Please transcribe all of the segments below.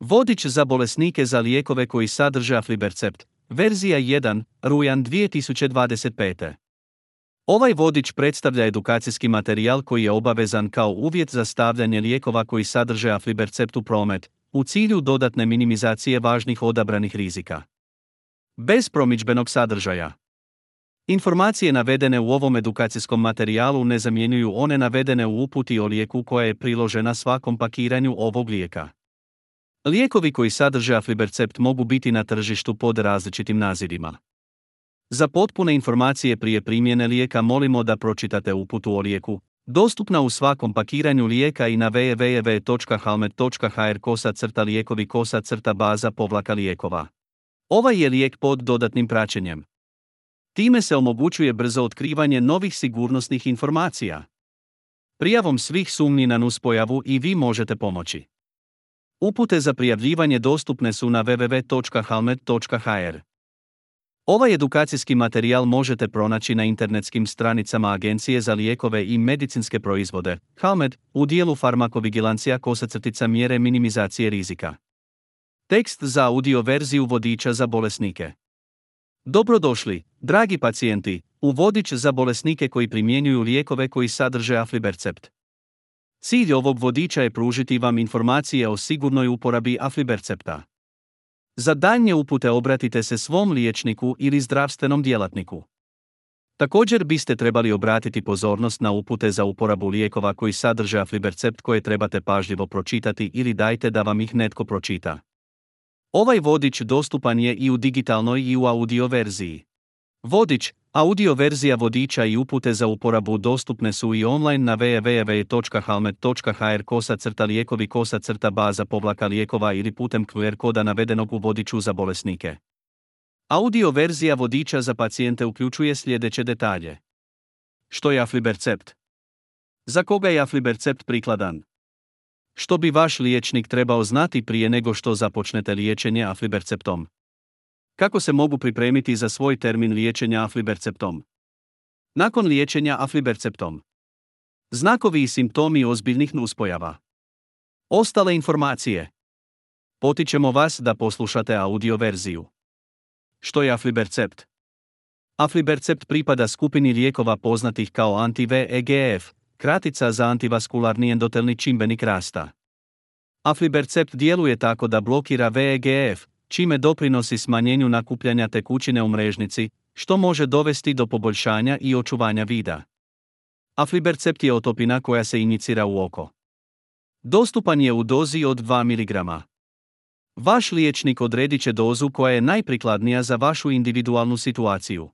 Vodič za bolesnike za lijekove koji sadrže aflibercept, verzija 1, rujan 2025. Ovaj vodič predstavlja edukacijski materijal koji je obavezan kao uvjet za stavljanje lijekova koji sadrže aflibercept u promet, u cilju dodatne minimizacije važnih odabranih rizika. Bez promidžbenog sadržaja. Informacije navedene u ovom edukacijskom materijalu ne zamjenjuju one navedene u uputi o lijeku koja je priložena svakom pakiranju ovog lijeka. Lijekovi koji sadrže aflibercept mogu biti na tržištu pod različitim nazivima. Za potpune informacije prije primjene lijeka molimo da pročitate uputu o lijeku, dostupna u svakom pakiranju lijeka i na www.halmed.hr/lijekovi/baza-lijekova. Ovaj je lijek pod dodatnim praćenjem. Time se omogućuje brzo otkrivanje novih sigurnosnih informacija. Prijavom svih sumnji na nuspojavu i vi možete pomoći. Upute za prijavljivanje dostupne su na www.halmed.hr. Ovaj edukacijski materijal možete pronaći na internetskim stranicama Agencije za lijekove i medicinske proizvode, Halmed, u dijelu farmakovigilancija-mjere minimizacije rizika. Tekst za audio verziju vodiča za bolesnike. Dobrodošli, dragi pacijenti, u vodič za bolesnike koji primjenjuju lijekove koji sadrže aflibercept. Cilj ovog vodiča je pružiti vam informacije o sigurnoj uporabi aflibercepta. Za daljnje upute obratite se svom liječniku ili zdravstvenom djelatniku. Također biste trebali obratiti pozornost na upute za uporabu lijekova koji sadrže aflibercept koje trebate pažljivo pročitati ili dajte da vam ih netko pročita. Ovaj vodič dostupan je i u digitalnoj i u audio verziji. Vodič, audio verzija vodiča i upute za uporabu dostupne su i online na www.halmed.hr/lijekovi/baza-lijekova ili putem QR koda navedenog u vodiču za bolesnike. Audio verzija vodiča za pacijente uključuje sljedeće detalje. Što je aflibercept? Za koga je aflibercept prikladan? Što bi vaš liječnik trebao znati prije nego što započnete liječenje afliberceptom? Kako se mogu pripremiti za svoj termin liječenja afliberceptom? Nakon liječenja afliberceptom. Znakovi i simptomi ozbiljnih nuspojava. Ostale informacije. Potičemo vas da poslušate audio verziju. Što je aflibercept? Aflibercept pripada skupini lijekova poznatih kao anti-VEGF, kratica za antivaskularni endotelni čimbenik rasta. Aflibercept djeluje tako da blokira VEGF, čime doprinosi smanjenju nakupljanja tekućine u mrežnici, što može dovesti do poboljšanja i očuvanja vida. Aflibercept je otopina koja se injicira u oko. Dostupan je u dozi od 2 mg. Vaš liječnik odredit će dozu koja je najprikladnija za vašu individualnu situaciju.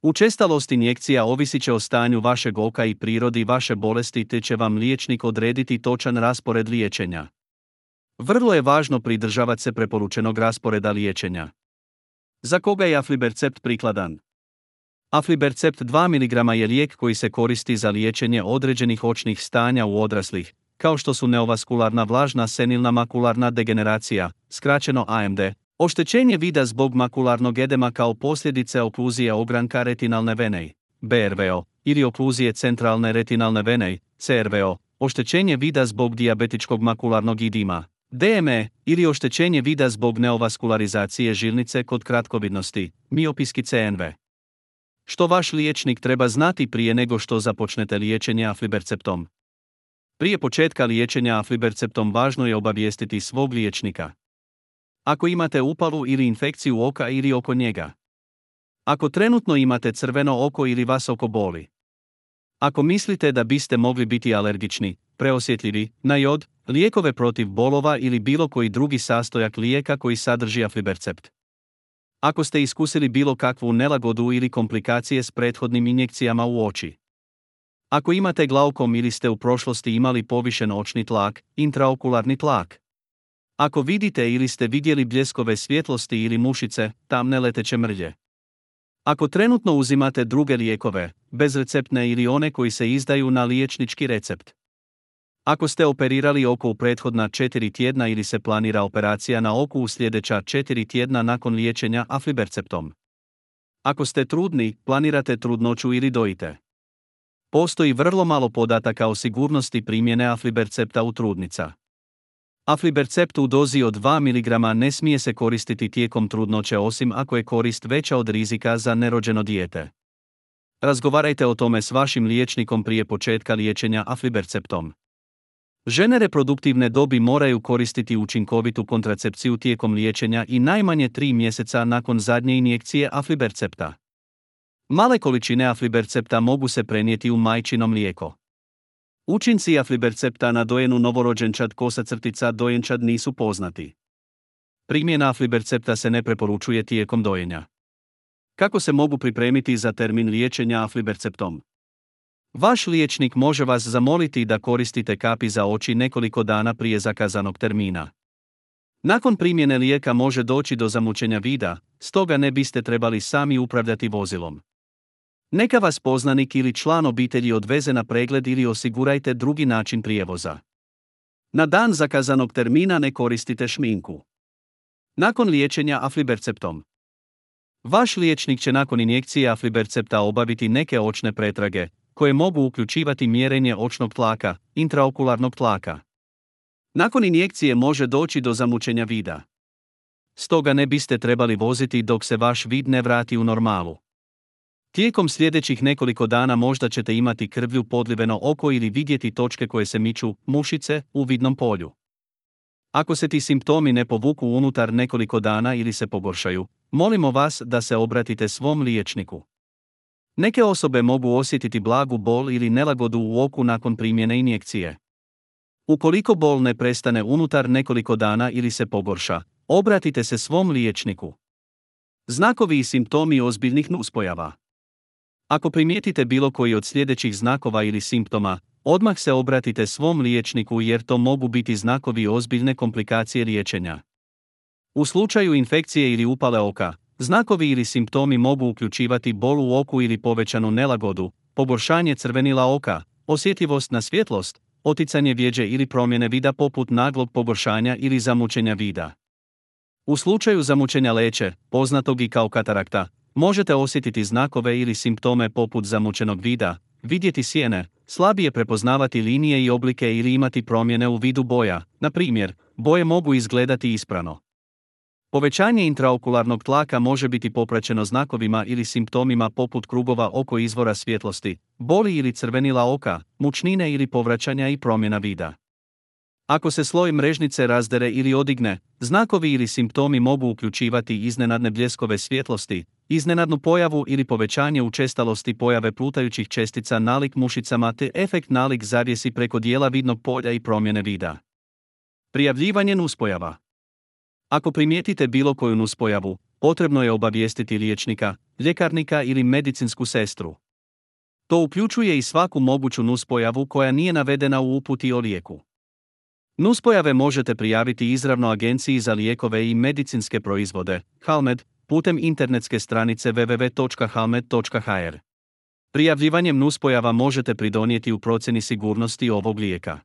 Učestalost injekcija ovisit će o stanju vašeg oka i prirodi vaše bolesti te će vam liječnik odrediti točan raspored liječenja. Vrlo je važno pridržavati se preporučenog rasporeda liječenja. Za koga je aflibercept prikladan? Aflibercept 2 mg je lijek koji se koristi za liječenje određenih očnih stanja u odraslih, kao što su neovaskularna vlažna senilna makularna degeneracija, skraćeno AMD, oštećenje vida zbog makularnog edema kao posljedice okluzije ogranka retinalne vene, BRVO, ili okluzije centralne retinalne vene, CRVO, oštećenje vida zbog dijabetičkog makularnog edema, DME, ili oštećenje vida zbog neovaskularizacije žilnice kod kratkovidnosti, miopijski CNV. Što vaš liječnik treba znati prije nego što započnete liječenje afliberceptom? Prije početka liječenja afliberceptom važno je obavijestiti svog liječnika. Ako imate upalu ili infekciju oka ili oko njega. Ako trenutno imate crveno oko ili vas oko boli. Ako mislite da biste mogli biti alergični, preosjetljivi na jod, lijekove protiv bolova ili bilo koji drugi sastojak lijeka koji sadrži aflibercept. Ako ste iskusili bilo kakvu nelagodu ili komplikacije s prethodnim injekcijama u oči. Ako imate glaukom ili ste u prošlosti imali povišen očni tlak, intraokularni tlak. Ako vidite ili ste vidjeli bljeskove svjetlosti ili mušice, tamne leteće mrlje. Ako trenutno uzimate druge lijekove, bezreceptne ili one koji se izdaju na liječnički recept. Ako ste operirali oko u prethodna 4 tjedna ili se planira operacija na oku u sljedeća 4 tjedna nakon liječenja afliberceptom. Ako ste trudni, planirate trudnoću ili dojite. Postoji vrlo malo podataka o sigurnosti primjene aflibercepta u trudnica. Aflibercept u dozi od 2 mg ne smije se koristiti tijekom trudnoće osim ako je korist veća od rizika za nerođeno dijete. Razgovarajte o tome s vašim liječnikom prije početka liječenja afliberceptom. Žene reproduktivne dobi moraju koristiti učinkovitu kontracepciju tijekom liječenja i najmanje 3 mjeseca nakon zadnje injekcije aflibercepta. Male količine aflibercepta mogu se prenijeti u majčino mlijeko. Učinci aflibercepta na dojenu novorođenčad dojenčad nisu poznati. Primjena aflibercepta se ne preporučuje tijekom dojenja. Kako se mogu pripremiti za termin liječenja afliberceptom? Vaš liječnik može vas zamoliti da koristite kapi za oči nekoliko dana prije zakazanog termina. Nakon primjene lijeka može doći do zamućenja vida, stoga ne biste trebali sami upravljati vozilom. Neka vas poznanik ili član obitelji odveze na pregled ili osigurajte drugi način prijevoza. Na dan zakazanog termina ne koristite šminku. Nakon liječenja afliberceptom. Vaš liječnik će nakon injekcije aflibercepta obaviti neke očne pretrage, koje mogu uključivati mjerenje očnog tlaka, intraokularnog tlaka. Nakon injekcije može doći do zamućenja vida. Stoga ne biste trebali voziti dok se vaš vid ne vrati u normalu. Tijekom sljedećih nekoliko dana možda ćete imati krvlju podliveno oko ili vidjeti točke koje se miču, mušice, u vidnom polju. Ako se ti simptomi ne povuku unutar nekoliko dana ili se pogoršaju, molimo vas da se obratite svom liječniku. Neke osobe mogu osjetiti blagu bol ili nelagodu u oku nakon primjene injekcije. Ukoliko bol ne prestane unutar nekoliko dana ili se pogorša, obratite se svom liječniku. Znakovi i simptomi ozbiljnih nuspojava. Ako primijetite bilo koji od sljedećih znakova ili simptoma, odmah se obratite svom liječniku jer to mogu biti znakovi ozbiljne komplikacije liječenja. U slučaju infekcije ili upale oka, znakovi ili simptomi mogu uključivati bol u oku ili povećanu nelagodu, pogoršanje crvenila oka, osjetljivost na svjetlost, oticanje vjeđe ili promjene vida poput naglog pogoršanja ili zamućenja vida. U slučaju zamućenja leće, poznatog i kao katarakta, možete osjetiti znakove ili simptome poput zamućenog vida, vidjeti sjene, slabije prepoznavati linije i oblike ili imati promjene u vidu boja, na primjer, boje mogu izgledati isprano. Povećanje intraokularnog tlaka može biti popraćeno znakovima ili simptomima poput krugova oko izvora svjetlosti, boli ili crvenila oka, mučnine ili povraćanja i promjena vida. Ako se sloj mrežnice razdere ili odigne, znakovi ili simptomi mogu uključivati iznenadne bljeskove svjetlosti, iznenadnu pojavu ili povećanje učestalosti pojave plutajućih čestica nalik mušicama te efekt nalik zavjesi preko dijela vidnog polja i promjene vida. Prijavljivanje nuspojava. Ako primijetite bilo koju nuspojavu, potrebno je obavijestiti liječnika, ljekarnika ili medicinsku sestru. To uključuje i svaku moguću nuspojavu koja nije navedena u uputi o lijeku. Nuspojave možete prijaviti izravno Agenciji za lijekove i medicinske proizvode, HALMED, putem internetske stranice www.halmed.hr. Prijavljivanjem nuspojava možete pridonijeti u procjeni sigurnosti ovog lijeka.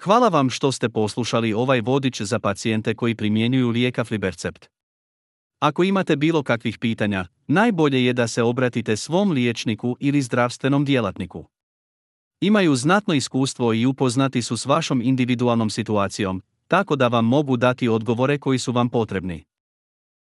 Hvala vam što ste poslušali ovaj vodič za pacijente koji primjenjuju lijek aflibercept. Ako imate bilo kakvih pitanja, najbolje je da se obratite svom liječniku ili zdravstvenom djelatniku. Imaju znatno iskustvo i upoznati su s vašom individualnom situacijom, tako da vam mogu dati odgovore koji su vam potrebni.